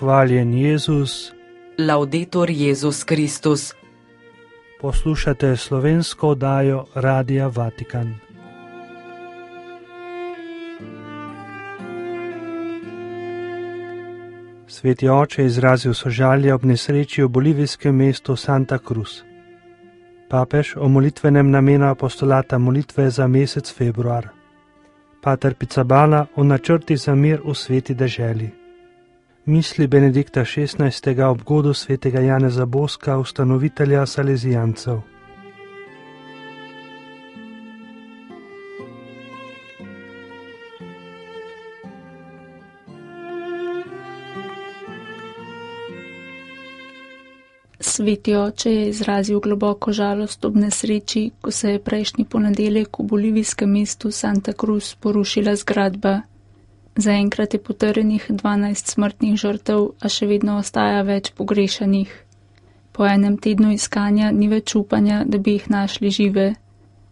hvaljen Jezus. Laudetur Jezus Kristus. Poslušate slovensko oddajo Radia Vatikan. Sveti oče je izrazil sožalje ob nesreči v bolivijskem mestu Santa Cruz. Papež o molitvenem namenu apostolata molitve za mesec februar. Pater Pizzaballa o načrti za mir v sveti deželi. Misli Benedikta XVI. Ob godu svetega Janeza Boska, ustanovitelja Salezijancev. Sveti oče je izrazil globoko žalost ob nesreči, ko se je prejšnji ponedeljek v bolivijskem mestu Santa Cruz porušila zgradba. Zaenkrat je potrjenih 12 smrtnih žrtev, a še vedno ostaja več pogrešanih. Po enem tednu iskanja ni več upanja, da bi jih našli žive.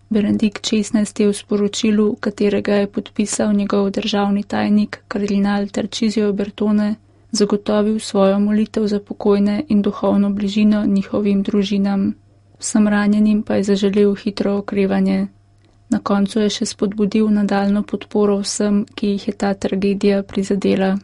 Benedikt XVI. Je v sporočilu, katerega je podpisal njegov državni tajnik, kardinal Tarcisio Bertone, zagotovil svojo molitev za pokojne in duhovno bližino njihovim družinam. Vsem ranjenim pa je zaželel hitro okrevanje. Na koncu je še spodbudil nadaljnjo podporo vsem, ki jih je ta tragedija prizadela.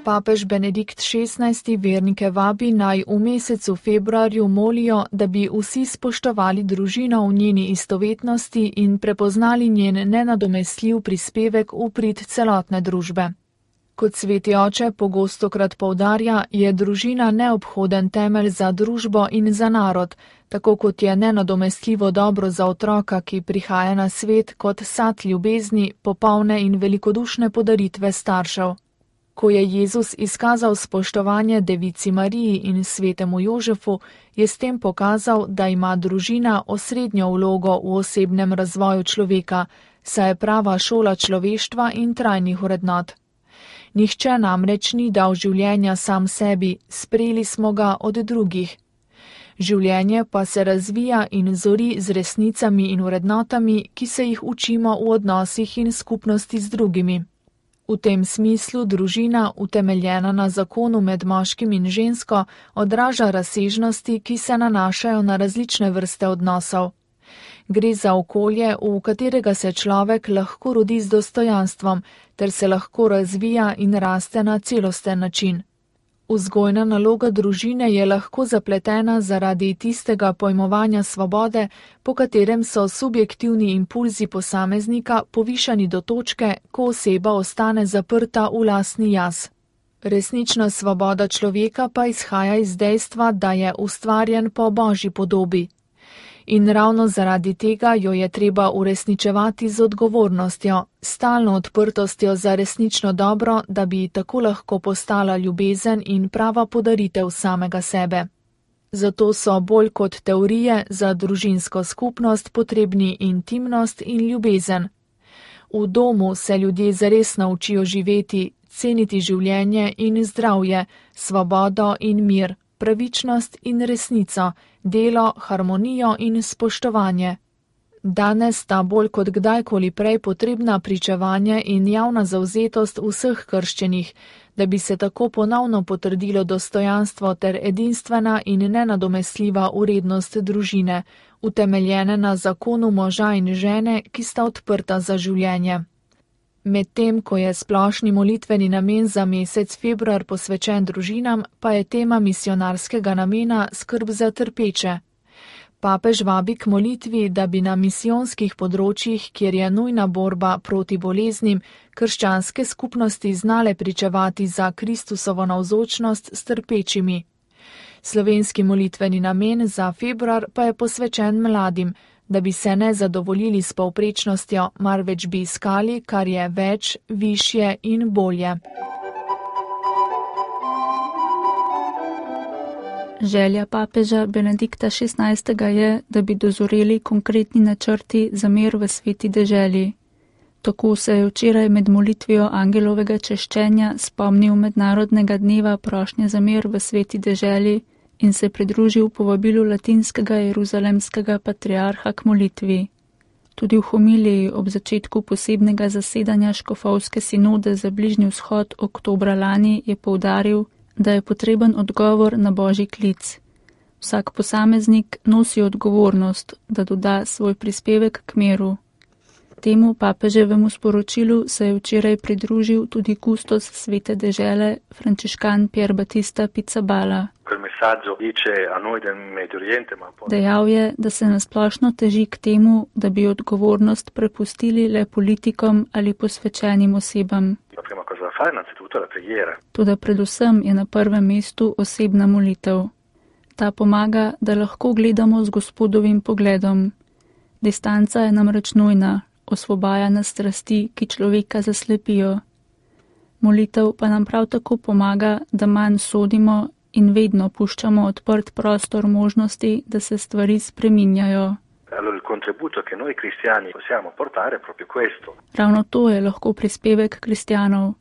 Papež Benedikt XVI. Vernike vabi, naj v mesecu februarju molijo, da bi vsi spoštovali družino v njeni istovetnosti in prepoznali njen nenadomestljiv prispevek v prid celotne družbe. Kot sveti oče pogostokrat poudarja, je družina neobhoden temelj za družbo in za narod, tako kot je nenadomestljivo dobro za otroka, ki prihaja na svet kot sad ljubezni, popolne in velikodušne podaritve staršev. Ko je Jezus izkazal spoštovanje Devici Mariji in svetemu Jožefu, je s tem pokazal, da ima družina osrednjo vlogo v osebnem razvoju človeka, saj je prava šola človeštva in trajnih vrednot. Nihče namreč ni dal življenja sam sebi, sprejeli smo ga od drugih. Življenje pa se razvija in zori z resnicami in vrednotami, ki se jih učimo v odnosih in skupnosti z drugimi. V tem smislu družina, utemeljena na zakonu med moškim in žensko, odraža razsežnosti, ki se nanašajo na različne vrste odnosov. Gre za okolje, v katerega se človek lahko rodi z dostojanstvom, ter se lahko razvija in raste na celosten način. Vzgojna naloga družine je lahko zapletena zaradi tistega pojmovanja svobode, po katerem so subjektivni impulzi posameznika povišani do točke, ko oseba ostane zaprta v lastni jaz. Resnična svoboda človeka pa izhaja iz dejstva, da je ustvarjen po Božji podobi. In ravno zaradi tega jo je treba uresničevati z odgovornostjo, stalno odprtostjo za resnično dobro, da bi tako lahko postala ljubezen in prava podaritev samega sebe. Zato so bolj kot teorije za družinsko skupnost potrebni intimnost in ljubezen. V domu se ljudje zares naučijo živeti, ceniti življenje in zdravje, svobodo in mir, pravičnost in resnico, delo, harmonijo in spoštovanje. Danes sta bolj kot kdajkoli prej potrebna pričevanje in javna zavzetost vseh krščenih, da bi se tako ponovno potrdilo dostojanstvo ter edinstvena in nenadomestljiva vrednost družine, utemeljene na zakonu moža in žene, ki sta odprta za življenje. Medtem, ko je splošni molitveni namen za mesec februar posvečen družinam, pa je tema misionarskega namena skrb za trpeče. Papež vabi k molitvi, da bi na misijonskih področjih, kjer je nujna borba proti boleznim, krščanske skupnosti znale pričevati za Kristusovo navzočnost s trpečimi. Slovenski molitveni namen za februar pa je posvečen mladim, da bi se ne zadovoljili s povprečnostjo, marveč bi iskali, kar je več, višje in bolje. Želja papeža Benedikta XVI. Je, da bi dozoreli konkretni načrti za mir v sveti deželi. Tako se je včeraj med molitvijo angelovega češčenja spomnil mednarodnega dneva prošnje za mir v sveti deželi in se pridružil povabilu latinskega jeruzalemskega patriarha k molitvi. Tudi v homiliji ob začetku posebnega zasedanja škofovske sinode za Bližnji vzhod oktobra lani je poudaril, da je potreben odgovor na božji klic. Vsak posameznik nosi odgovornost, da doda svoj prispevek k miru. Temu papeževemu sporočilu se je včeraj pridružil tudi kustos svete dežele, frančiškan Pier Battista Pizzaballa. Dejal je, da se nasplošno teži k temu, da bi odgovornost prepustili le politikom ali posvečenim osebam. Toda predvsem je na prvem mestu osebna molitev. Ta pomaga, da lahko gledamo z Gospodovim pogledom. Distanca je namreč nujna, osvobaja nas strasti, ki človeka zaslepijo. Molitev pa nam prav tako pomaga, da manj sodimo in vedno puščamo odprt prostor možnosti, da se stvari spreminjajo. Ravno to je lahko prispevek kristjanov.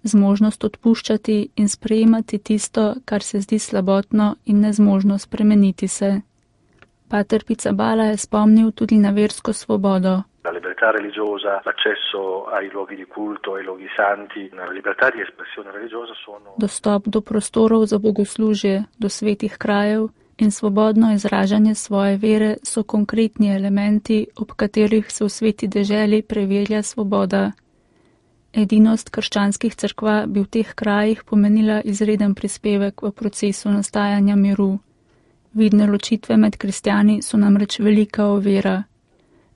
Zmožnost odpuščati in sprejemati tisto, kar se zdi slabotno in nezmožno spremeniti se. Pater Pizzaballa je spomnil tudi na versko svobodo. La libertà religiosa, l'accesso ai luoghi di culto, ai luoghi santi, la libertà di espressione religiosa sono... Dostop do prostorov za bogoslužje, do svetih krajev in svobodno izražanje svoje vere so konkretni elementi, ob katerih se v sveti deželi prevelja svoboda. Edinost krščanskih cerkva bi v teh krajih pomenila izreden prispevek v procesu nastajanja miru. Vidne ločitve med kristjani so namreč velika ovira.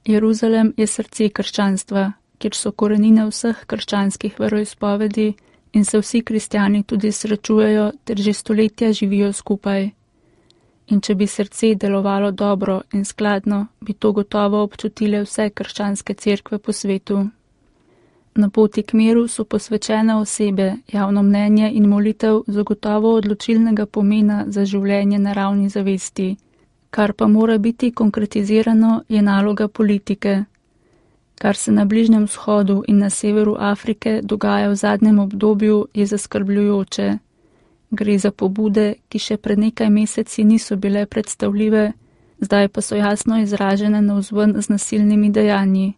Jeruzalem je srce krščanstva, kjer so korenine vseh krščanskih veroizpovedi in se vsi kristjani tudi srečujejo ter že stoletja živijo skupaj. In če bi srce delovalo dobro in skladno, bi to gotovo občutile vse krščanske cerkve po svetu. Na poti k miru so posvečene osebe, javno mnenje in molitev zagotovo odločilnega pomena za življenje na ravni zavesti. Kar pa mora biti konkretizirano, je naloga politike. Kar se na Bližnjem vzhodu in na severu Afrike dogaja v zadnjem obdobju, je zaskrbljujoče. Gre za pobude, ki še pred nekaj meseci niso bile predstavljive, zdaj pa so jasno izražene navzven z nasilnimi dejanji.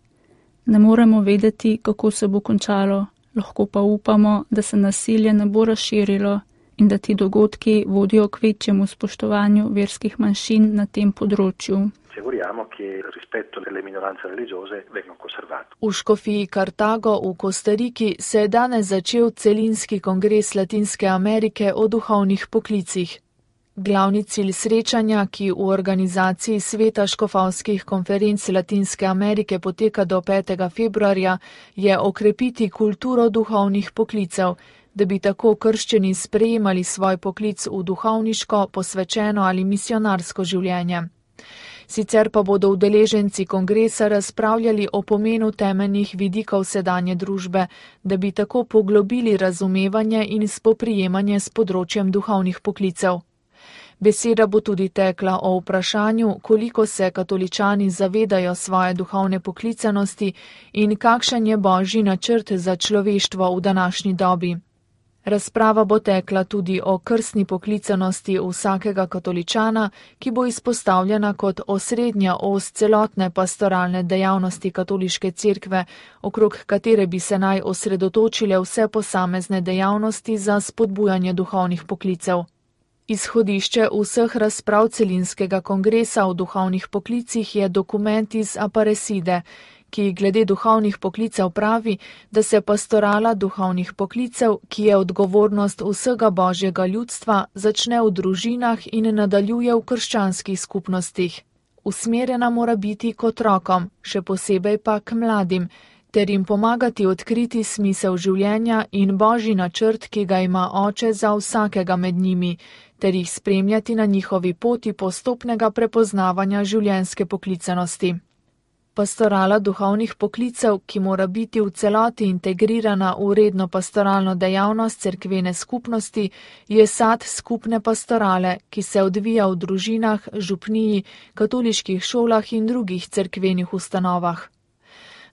Ne moremo vedeti, kako se bo končalo, lahko pa upamo, da se nasilje ne bo razširilo in da ti dogodki vodijo k večjemu spoštovanju verskih manjšin na tem področju. V škofiji Kartago v Kostariki se je danes začel celinski kongres Latinske Amerike o duhovnih poklicih. Glavni cilj srečanja, ki v organizaciji Sveta škofovskih konferenc Latinske Amerike poteka do 5. februarja, je okrepiti kulturo duhovnih poklicev, da bi tako krščeni sprejemali svoj poklic v duhovniško, posvečeno ali misionarsko življenje. Sicer pa bodo udeleženci kongresa razpravljali o pomenu temeljnih vidikov sedanje družbe, da bi tako poglobili razumevanje in spoprijemanje s področjem duhovnih poklicev. Beseda bo tudi tekla o vprašanju, koliko se katoličani zavedajo svoje duhovne poklicanosti in kakšen je božji načrt za človeštvo v današnji dobi. Razprava bo tekla tudi o krstni poklicanosti vsakega katoličana, ki bo izpostavljena kot osrednja os celotne pastoralne dejavnosti katoliške cerkve, okrog katere bi se naj osredotočile vse posamezne dejavnosti za spodbujanje duhovnih poklicev. Izhodišče vseh razprav celinskega kongresa o duhovnih poklicih je dokument iz Aparecide, ki glede duhovnih poklicev pravi, da se pastorala duhovnih poklicev, ki je odgovornost vsega božjega ljudstva, začne v družinah in nadaljuje v krščanskih skupnostih. Usmerjena mora biti k otrokom, še posebej pa k mladim, ter jim pomagati odkriti smisel življenja in božji načrt, ki ga ima oče za vsakega med njimi, ter jih spremljati na njihovi poti postopnega prepoznavanja življenjske poklicanosti. Pastorala duhovnih poklicev, ki mora biti v celoti integrirana v redno pastoralno dejavnost cerkvene skupnosti, je sad skupne pastorale, ki se odvija v družinah, župniji, katoliških šolah in drugih cerkvenih ustanovah.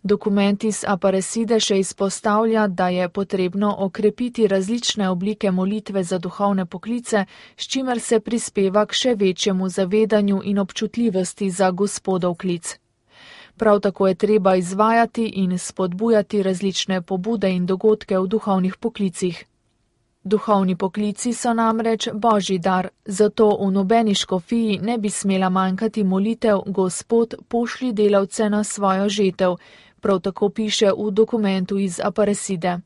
Dokument iz Aparecide še izpostavlja, da je potrebno okrepiti različne oblike molitve za duhovne poklice, s čimer se prispeva k še večjemu zavedanju in občutljivosti za Gospodov klic. Prav tako je treba izvajati in spodbujati različne pobude in dogodke v duhovnih poklicih. Duhovni poklici so namreč božji dar, zato v nobeni škofiji ne bi smela manjkati molitev Gospod, pošlji delavce na svojo žetev, prav tako piše v dokumentu iz Aparecide.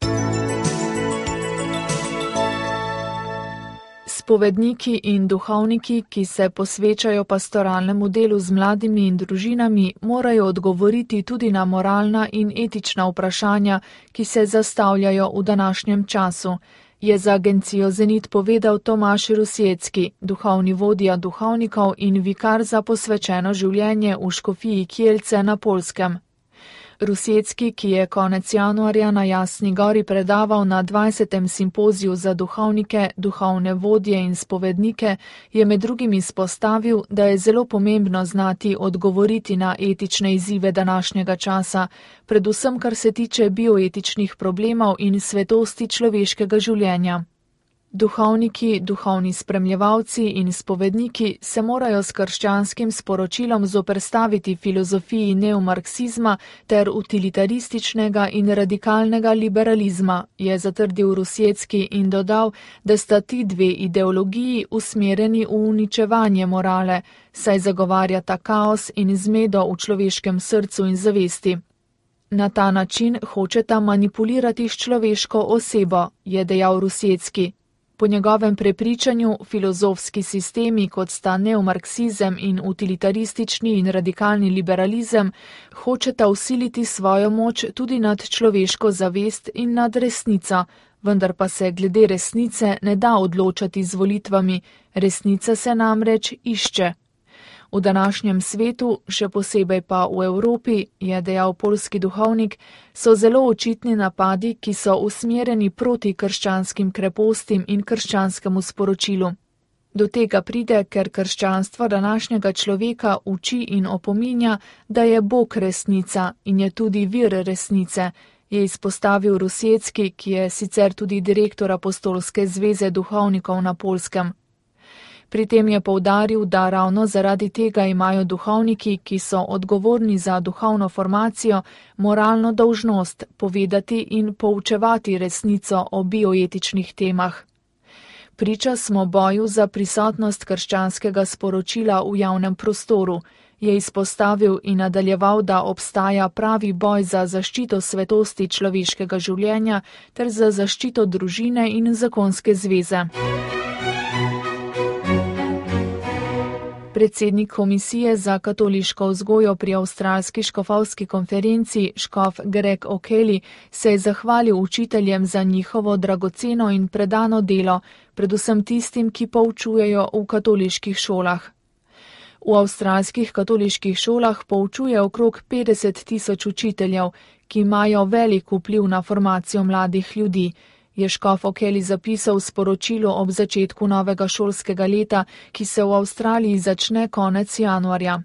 Spovedniki in duhovniki, ki se posvečajo pastoralnemu delu z mladimi in družinami, morajo odgovoriti tudi na moralna in etična vprašanja, ki se zastavljajo v današnjem času, je za agencijo Zenit povedal Tomaž Rusjecki, duhovni vodja duhovnikov in vikar za posvečeno življenje v škofiji Kielce na Poljskem. Rusjecki, ki je konec januarja na Jasni gori predaval na 20. simpoziju za duhovnike, duhovne vodje in spovednike, je med drugim izpostavil, da je zelo pomembno znati odgovoriti na etične izzive današnjega časa, predvsem kar se tiče bioetičnih problemov in svetosti človeškega življenja. Duhovniki, duhovni spremljevalci in spovedniki se morajo s krščanskim sporočilom zoperstaviti filozofiji neomarksizma ter utilitarističnega in radikalnega liberalizma, je zatrdil Rusjecki in dodal, da sta ti dve ideologiji usmerjeni v uničevanje morale, saj zagovarjata kaos in zmedo v človeškem srcu in zavesti. Na ta način hočeta manipulirati s človeško osebo, je dejal Rusjecki. Po njegovem prepričanju filozofski sistemi, kot sta neomarksizem in utilitaristični in radikalni liberalizem, hočeta vsiliti svojo moč tudi nad človeško zavest in nad resnico, vendar pa se glede resnice ne da odločati z volitvami, resnica se namreč išče. V današnjem svetu, še posebej pa v Evropi, je dejal poljski duhovnik, so zelo očitni napadi, ki so usmerjeni proti krščanskim krepostim in krščanskemu sporočilu. Do tega pride, ker krščanstvo današnjega človeka uči in opominja, da je Bog resnica in je tudi vir resnice, je izpostavil Rusjecki, ki je sicer tudi direktor Apostolske zveze duhovnikov na Poljskem. Pri tem je poudaril, da ravno zaradi tega imajo duhovniki, ki so odgovorni za duhovno formacijo, moralno dolžnost povedati in poučevati resnico o bioetičnih temah. Priča smo boju za prisotnost krščanskega sporočila v javnem prostoru, je izpostavil in nadaljeval, da obstaja pravi boj za zaščito svetosti človeškega življenja ter za zaščito družine in zakonske zveze. Predsednik Komisije za katoliško vzgojo pri avstralski škofovski konferenci, škof Greg O'Kelly, se je zahvalil učiteljem za njihovo dragoceno in predano delo, predvsem tistim, ki poučujejo v katoliških šolah. V avstralskih katoliških šolah poučuje okrog 50 000 učiteljev, ki imajo velik vpliv na formacijo mladih ljudi, je škof O'Kelly zapisal v sporočilu ob začetku novega šolskega leta, ki se v Avstraliji začne konec januarja.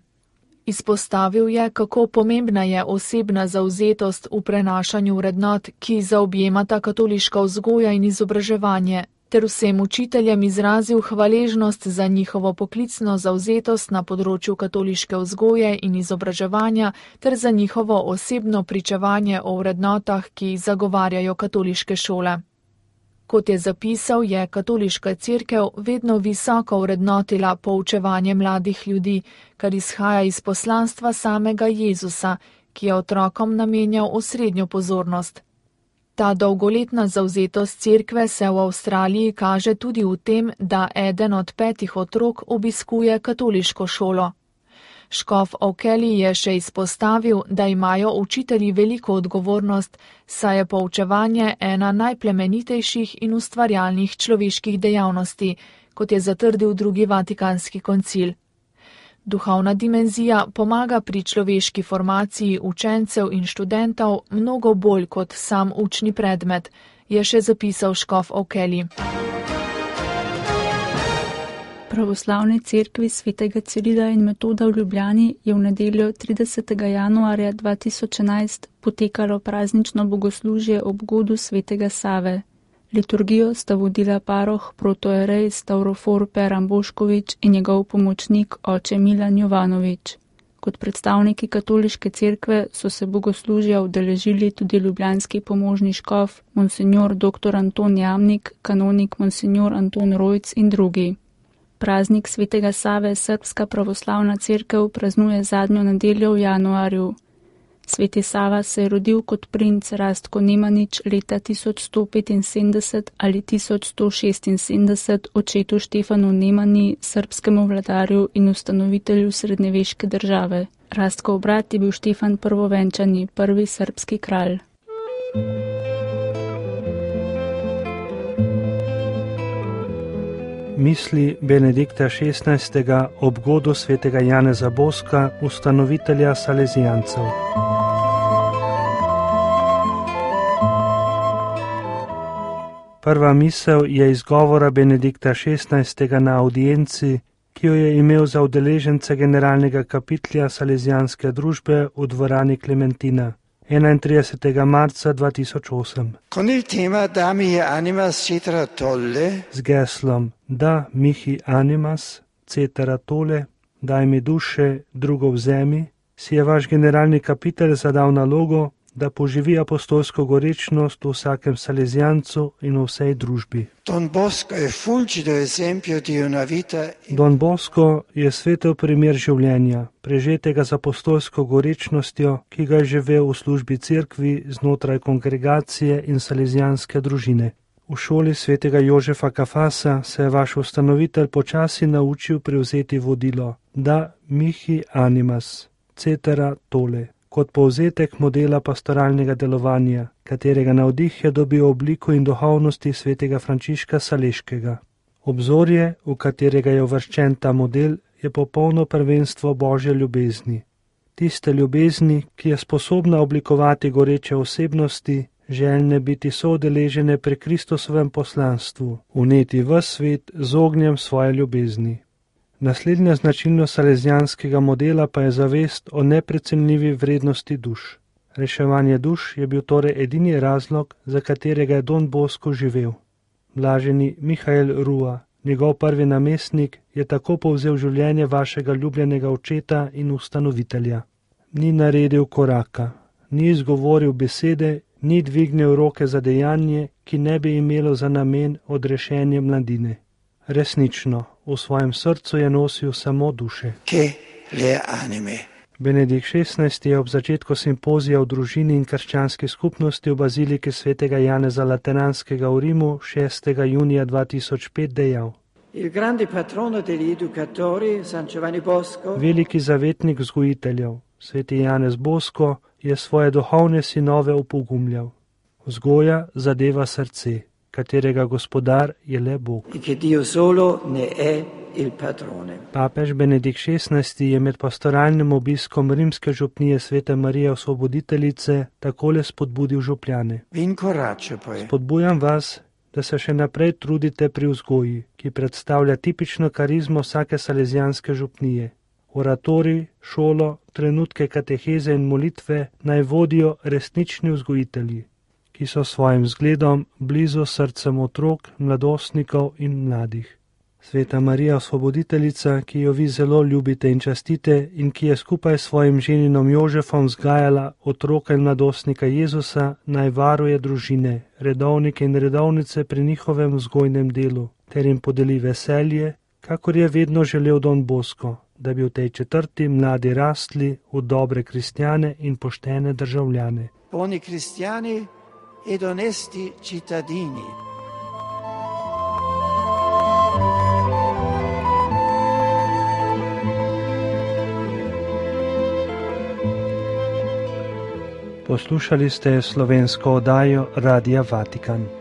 Izpostavil je, kako pomembna je osebna zavzetost v prenašanju vrednot, ki zaobjemata katoliška vzgoja in izobraževanje, ter vsem učiteljem izrazil hvaležnost za njihovo poklicno zavzetost na področju katoliške vzgoje in izobraževanja ter za njihovo osebno pričevanje o vrednotah, ki zagovarjajo katoliške šole. Kot je zapisal, je katoliška cerkev vedno visoko vrednotila poučevanje mladih ljudi, kar izhaja iz poslanstva samega Jezusa, ki je otrokom namenjal osrednjo pozornost. Ta dolgoletna zavzetost cerkve se v Avstraliji kaže tudi v tem, da eden od 5 otrok obiskuje katoliško šolo. Škof O'Kelly je še izpostavil, da imajo učitelji veliko odgovornost, saj je poučevanje ena najplemenitejših in ustvarjalnih človeških dejavnosti, kot je zatrdil drugi Vatikanski koncil. Duhovna dimenzija pomaga pri človeški formaciji učencev in študentov mnogo bolj kot sam učni predmet, je še zapisal škof O'Kelly. Pravoslavni cerkvi svetega Cirila in Metoda v Ljubljani je v nedeljo 30. januarja 2011 potekalo praznično bogoslužje ob godu svetega Save. Liturgijo sta vodila paroh protoerej Stavrofor Peran Bošković in njegov pomočnik oče Milan Jovanović. Kot predstavniki katoliške cerkve so se bogoslužja udeležili tudi ljubljanski pomožni škof, monsinjor dr. Anton Jamnik, kanonik monsinjor Anton Rojc in drugi. Praznik svetega Save Srbska pravoslavna cerkev praznuje zadnjo nedeljo v januarju. Sveti Sava se je rodil kot princ Rastko Nemanič leta 1175 ali 1176 očetu Štefanu Nemanji, srbskemu vladarju in ustanovitelju srednjeveške države. Rastkov brat je bil Štefan Prvovenčani, prvi srbski kralj. Misli Benedikta XVI. Ob godu svetega Janeza Boska, ustanovitelja Salezijancev. Prva misel je iz govora Benedikta XVI. Na audienci, ki jo je imel za udeležence generalnega kapitlja Salezijanske družbe v dvorani Klementina 31. marca 2008. Con il tema Da mihi animas cetera tolle, z geslom Da mihi animas cetera tolle, daj mi duše, drugo vzemi, si je vaš generalni kapitelj zadal nalogo, da poživi apostolsko gorečnost v vsakem Salezijancu in v vsej družbi. Don Bosco è fulgido esempio di una vita. Don Bosco je svetel primer življenja, prežetega z apostolsko gorečnostjo, ki ga je živel v službi cerkvi znotraj kongregacije in salezijanske družine. V šoli svetega Jožefa Kafasa se je vaš ustanovitelj počasi naučil prevzeti vodilo Da mihi animas cetera tolle, kot povzetek modela pastoralnega delovanja, katerega navdih je dobil obliko in duhovnosti svetega Frančiška Saleškega. Obzorje, v katerega je uvrščen ta model, je popolno prvenstvo Božje ljubezni. Tiste ljubezni, ki je sposobna oblikovati goreče osebnosti, željne biti soudeležene pri Kristusovem poslanstvu, vneti v svet z ognjem svoje ljubezni. Naslednja značilnost salezijanskega modela pa je zavest o neprecenljivi vrednosti duš. Reševanje duš je bil torej edini razlog, za katerega je Don Bosco živel. Blaženi Mihael Rua, njegov prvi namestnik, je tako povzel življenje vašega ljubljenega očeta in ustanovitelja. Ni naredil koraka, ni izgovoril besede, ni dvignil roke za dejanje, ki ne bi imelo za namen odrešenje mladine. Resnično, v svojem srcu je nosil samo duše. Benedikt XVI. Je ob začetku simpozija o družini in krščanski skupnosti v baziliki svetega Janeza Lateranskega v Rimu 6. junija 2005 dejal: Veliki zavetnik vzgojiteljev, sveti Janez Bosko, je svoje duhovne sinove opogumljal. Vzgoja zadeva srce, katerega gospodar je le Bog. Papež Benedikt XVI. Je med pastoralnim obiskom rimske župnije Svete Marije Osvoboditeljice takole spodbudil župljane. Spodbujam vas, da se še naprej trudite pri vzgoji, ki predstavlja tipično karizmo vsake salezijanske župnije. Oratorij, šolo, trenutke kateheze in molitve naj vodijo resnični vzgojitelji, ki so svojim zgledom blizu srcem otrok, mladostnikov in mladih. Sveta Marija Osvoboditeljica, ki jo vi zelo ljubite in častite in ki je skupaj s svojim ženinom Jožefom vzgajala otroka in mladostnika Jezusa, naj varuje družine, redovnike in redovnice pri njihovem vzgojnem delu, ter jim podeli veselje, kakor je vedno želel Don Bosco, da bi v tej četrti mladi rastli v dobre kristjane in poštene državljane. Buoni cristiani ed onesti cittadini. Poslušali ste slovensko oddajo Radia Vatikan.